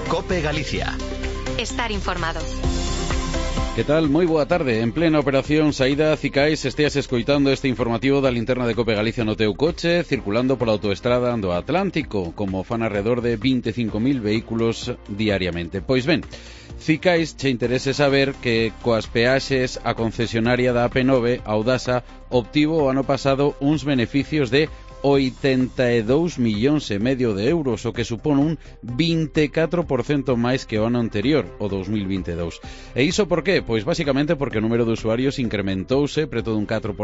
COPE Galicia. Estar informado. Que tal? Moi boa tarde. En plena operación saída Cicais esteas escoitando este informativo da linterna de COPE Galicia no teu coche, circulando pola autoestrada do Atlántico, como fan alrededor de 25.000 vehículos diariamente. Pois ben, Cicais che interese saber que coas peaxes a concesionaria da AP9, Audasa, obtivo o ano pasado uns beneficios de 82,5 millóns de euros, o que supón un 24% máis que o ano anterior, o 2022. E iso por qué? Pois basicamente porque o número de usuarios incrementouse preto dun 4%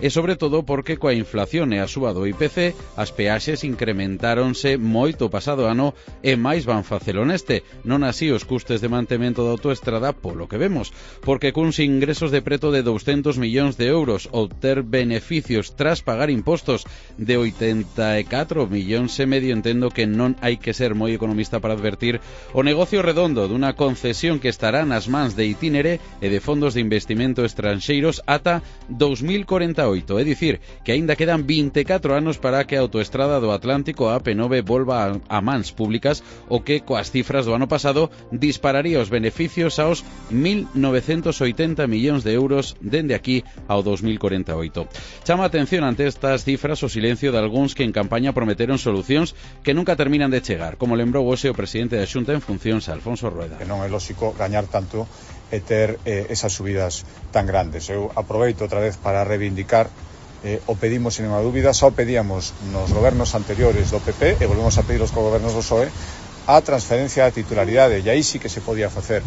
e sobre todo porque coa inflación e a suba do IPC as peaxes incrementáronse moito o pasado ano e máis van facelo neste, non así os custes de mantemento da autoestrada polo que vemos, porque cuns ingresos de preto de 200 millóns de euros obter beneficios tras pagar impostos de 84,5 millóns entendo que non hai que ser moi economista para advertir o negocio redondo dunha concesión que estará nas mans de Itinere e de fondos de investimento estranxeiros ata 2048, é dicir, que aínda quedan 24 anos para que a autoestrada do Atlántico a AP9 volva a mans públicas, o que coas cifras do ano pasado dispararía os beneficios aos 1.980 millóns de euros dende aquí ao 2048. Chama a atención ante estas cifras o silencio de algúns que en campaña prometeron solucións que nunca terminan de chegar, como lembrou hoxe o presidente da Xunta en funcións, Alfonso Rueda. Que non é lóxico gañar tanto e ter esas subidas tan grandes. Eu aproveito outra vez para reivindicar o pedimos sin ninguna dúbida, só pedíamos nos gobernos anteriores do PP e volvemos a pedir os gobernos do PSOE a transferencia da titularidade, e aí sí que se podía facer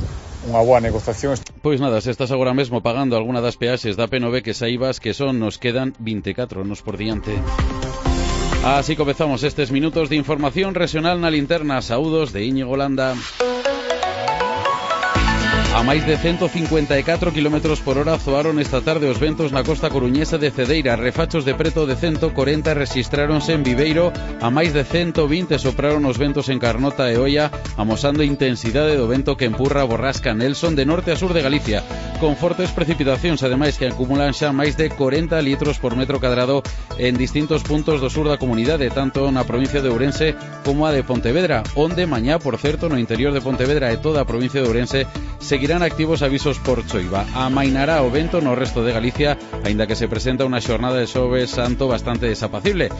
unha boa negociación. Pois nada, se estás agora mesmo pagando alguna das peaxes da P9, que saibas que son nos quedan 24 anos por diante. Así comezamos estes minutos de información regional na linterna. Saúdos de Íñigo Landa. A máis de 154 km por hora zoaron esta tarde os ventos na costa coruñesa de Cedeira. Refachos de preto de 140 rexistráronse en Viveiro, a máis de 120 sopraron os ventos en Carnota e Oia, amosando a intensidade do vento que empurra a borrasca Nelson de norte a sur de Galicia, con fortes precipitacións, ademais que acumulan xa máis de 40 litros por metro cadrado en distintos puntos do sur da comunidade, tanto na provincia de Ourense como a de Pontevedra, onde mañá, por certo, no interior de Pontevedra e toda a provincia de Ourense seguirán activos avisos por choiva. Amainará o vento no resto de Galicia, aínda que se presenta unha xornada de Xoves Santo bastante desapacible.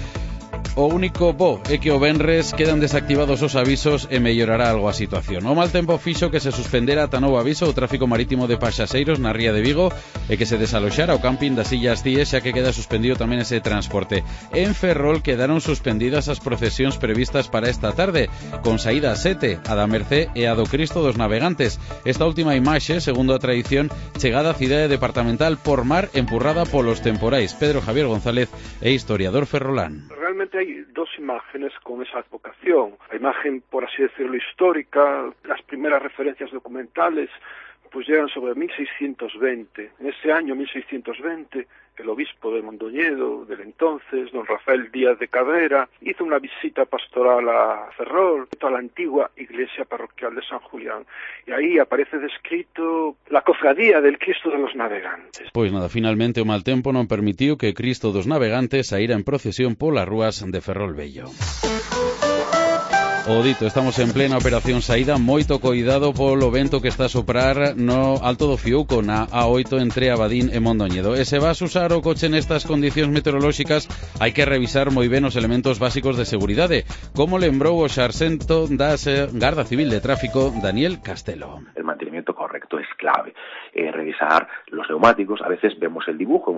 O único bo é que o venres quedan desactivados os avisos e mellorará algo a situación. O mal tempo fixo que se suspendera ata novo aviso o tráfico marítimo de paxaxeiros na ría de Vigo e que se desaloxara o camping das Illas Cíes, xa que queda suspendido tamén ese transporte. En Ferrol quedaron suspendidas as procesións previstas para esta tarde, con saída a 7, a da Mercé e a do Cristo dos Navegantes. Esta última imaxe, segundo a tradición, chegada á cidade departamental por mar empurrada polos temporais. Pedro Javier González é historiador ferrolán. Realmente hay dos imágenes con esa advocación. La imagen, por así decirlo, histórica, las primeras referencias documentales, pues llegan sobre 1620. En ese año 1620, el obispo de Mondoñedo, del entonces, don Rafael Díaz de Cabrera, hizo una visita pastoral a Ferrol, a la antigua iglesia parroquial de San Julián, y ahí aparece descrito la cofradía del Cristo de los Navegantes. Pois nada, finalmente o mal tempo non permitiu que Cristo dos Navegantes saíra en procesión polas rúas de Ferrol Vello. O dito, estamos en plena operación saída, moito coidado polo vento que está a soprar no Alto do Fiuco, na A8 entre Abadín e Mondoñedo. E se vas usar o coche nestas condicións meteorolóxicas, hai que revisar moi ben os elementos básicos de seguridade, como lembrou o xarxento da Garda Civil de Tráfico, Daniel Castelo. El mantenimiento correcto es clave. Revisar los neumáticos, a veces vemos el dibujo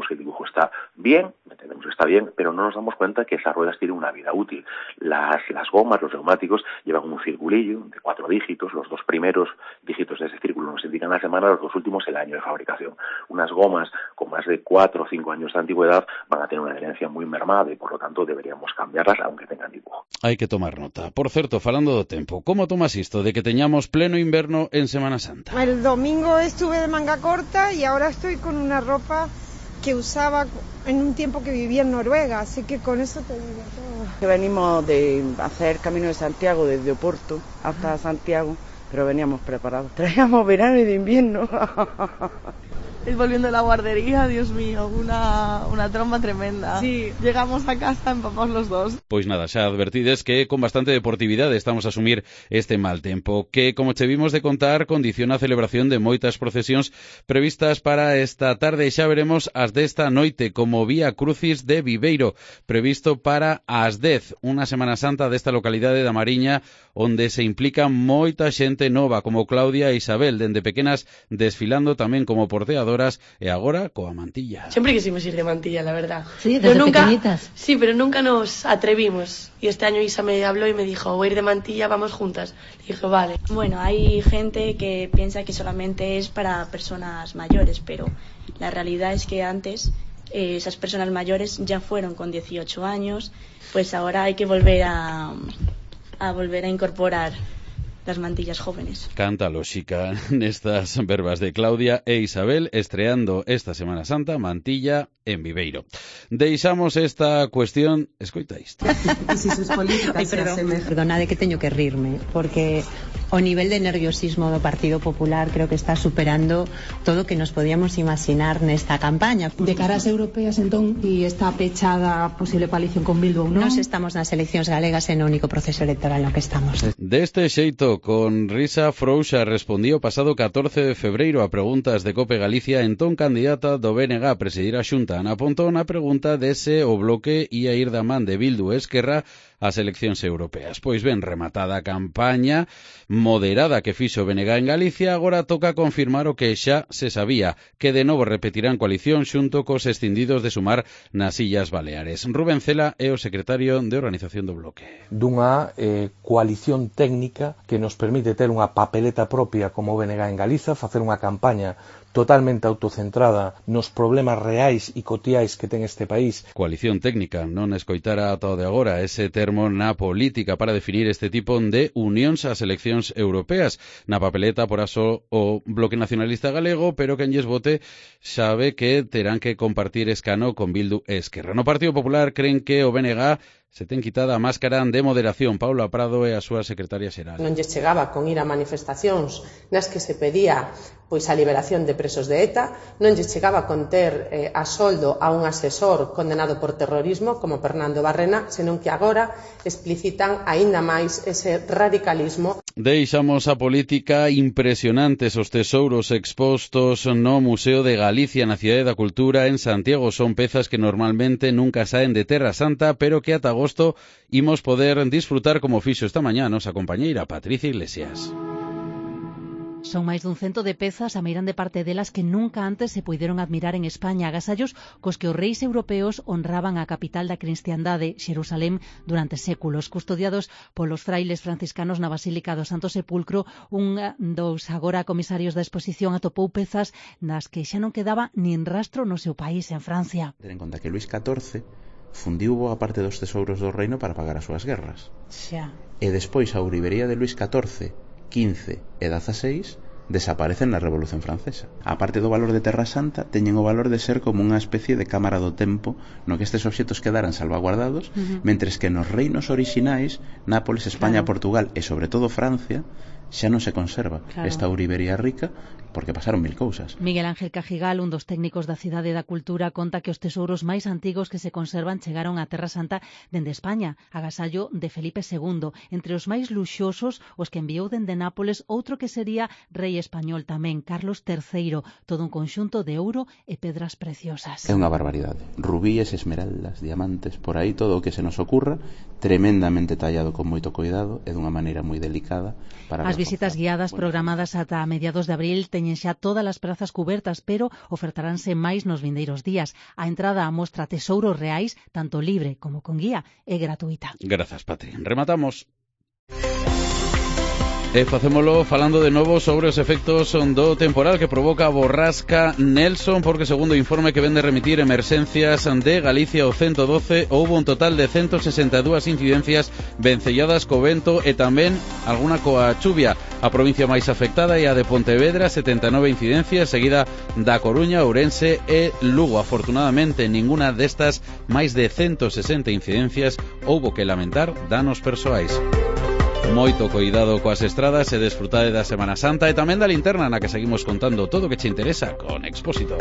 está bien, entendemos que está bien, pero no nos damos cuenta que esas ruedas tienen una vida útil. Las gomas, los neumáticos, llevan un circulillo de 4 dígitos, los 2 primeros dígitos de ese círculo nos indican la semana, los 2 últimos el año de fabricación. Unas gomas con más de 4 o 5 años de antigüedad van a tener una adherencia muy mermada y por lo tanto deberíamos cambiarlas aunque tengan dibujo. Hai que tomar nota. Por certo, falando do tempo, como tomas isto de que teñamos pleno inverno en Semana Santa? El domingo estuve de manga corta y ahora estoy con una ropa que usaba en un tiempo que vivía en Noruega, así que con eso te digo todo. Venimos de hacer Camino de Santiago desde Oporto hasta Santiago, pero veníamos preparados. Traíamos verano y de invierno. volviendo de la guardería, Dios mío, una tromba tremenda. Sí, llegamos a casa empapados los dos. Pois nada, xa advertides que con bastante deportividade estamos a asumir este mal tempo, que, como che vimos de contar, condiciona a celebración de moitas procesións previstas para esta tarde. Xa veremos as desta noite, como Vía Crucis de Viveiro, previsto para as 10, unha Semana Santa desta localidade da Mariña, onde se implica moita xente nova, como Claudia e Isabel, dende pequenas desfilando tamén como porteadoras e agora coa mantilla. Siempre quisimos ir de mantilla, la verdad. Sí, desde pequeñitas. Sí, pero nunca nos atrevimos. Y este año Isa me habló y me dijo, voy a ir de mantilla, vamos juntas. Y dije, vale. Bueno, hay gente que piensa que solamente es para personas mayores, pero la realidad es que antes esas personas mayores ya fueron con 18 años, pues ahora hay que volver a incorporar las mantillas jóvenes. Canta lógica nestas verbas de Claudia e Isabel, estreando esta Semana Santa mantilla en Viveiro. Deixamos esta cuestión, escoita isto. Perdona de que teño que rirme, porque o nivel de nerviosismo do Partido Popular creo que está superando todo o que nos podíamos imaginar nesta campaña. De cara ás europeas, entón, e está pechada a posible coalición con Bildu ou non? Nos estamos nas eleccións galegas e no único proceso electoral no que estamos. Deste xeito, con risa frouxa, respondía o pasado 14 de febreiro a preguntas de Cope Galicia, entón candidata do BNG a presidir a Xunta, Ana Pontón, a pregunta dese o bloque ia ir da man de Bildu e Esquerra ás eleccións europeas. Pois ben, rematada a campaña moderada que fixo BNG en Galicia, agora toca confirmar o que xa se sabía, que de novo repetirán coalición xunto cos escindidos de Sumar nas Illas Baleares. Rubén Cela é o secretario de organización do bloque. Dunha coalición técnica que nos permite ter unha papeleta propia como BNG en Galiza, facer unha campaña totalmente autocentrada nos problemas reais e cotiais que ten este país. Coalición técnica, non escoitara ata o de agora ese termo na política para definir este tipo de unións ás eleccións europeas. Na papeleta, por aso, o Bloque Nacionalista Galego, pero quen lles vote sabe que terán que compartir escano con Bildu e Esquerra. No Partido Popular creen que o BNG se ten quitada a máscara de moderación. Paula Prado é a súa secretaria xeral. Non lles chegaba con ir a manifestacións nas que se pedía pois a liberación de presos de ETA, non lles chegaba con ter a soldo a un asesor condenado por terrorismo como Fernando Barrena, senón que agora explicitan aínda máis ese radicalismo. Deixamos a política. Impresionantes os tesouros expostos no Museo de Galicia na Cidade da Cultura en Santiago. Son pezas que normalmente nunca saen de Terra Santa, pero que ata agosto imos poder disfrutar como fixo esta mañá nosa compañeira Patricia Iglesias. Son máis dun 100 de pezas, a meirande parte delas que nunca antes se puideron admirar en España, agasallos cos que os reis europeos honraban a capital da cristiandade, Xerusalén, durante séculos, custodiados polos frailes franciscanos na Basílica do Santo Sepulcro. Un dos agora comisarios da exposición atopou pezas nas que xa non quedaba nin rastro no seu país, en Francia. Ten en conta que Luís XIV fundiu boa parte dos tesouros do reino para pagar as súas guerras. Xa. E despois a ourivería de Luís XIV, XV e XVI desaparecen na Revolución Francesa. A parte do valor de Terra Santa, teñen o valor de ser como unha especie de cámara do tempo no que estes obxetos quedaran salvaguardados, mentres que nos reinos orixinais, Nápoles, España, Portugal e sobre todo Francia, xa non se conserva esta ourivería rica porque pasaron mil cousas. Miguel Ángel Cajigal, un dos técnicos da Cidade da Cultura, conta que os tesouros máis antigos que se conservan chegaron a Terra Santa dende España, agasallo de Felipe II. Entre os máis luxosos, os que enviou dende Nápoles outro que sería rei español tamén, Carlos III, todo un conxunto de ouro e pedras preciosas. É unha barbaridade. Rubíes, esmeraldas, diamantes, por aí todo o que se nos ocurra, tremendamente tallado con moito cuidado e dunha maneira moi delicada. As visitas guiadas programadas ata a mediados de abril teñen xa todas as prazas cubertas, pero ofertaránse máis nos vindeiros días. A entrada á mostra Tesouros Reais, tanto libre como con guía, é gratuita. Grazas, Patri. Rematamos. E facémolo falando de novo sobre os efectos do temporal que provoca a borrasca Nelson, porque segundo o informe que vende remitir Emerxencias de Galicia o 112, houbo un total de 162 incidencias vencelladas co vento e tamén alguna coa chuvia. A provincia máis afectada é a de Pontevedra, 79 incidencias, seguida da Coruña, Ourense e Lugo. Afortunadamente, ninguna destas máis de 160 incidencias houbo que lamentar danos persoais. Moito coidado coas estradas e desfrutade da Semana Santa e tamén da linterna na que seguimos contando todo o que che interesa con Expósito.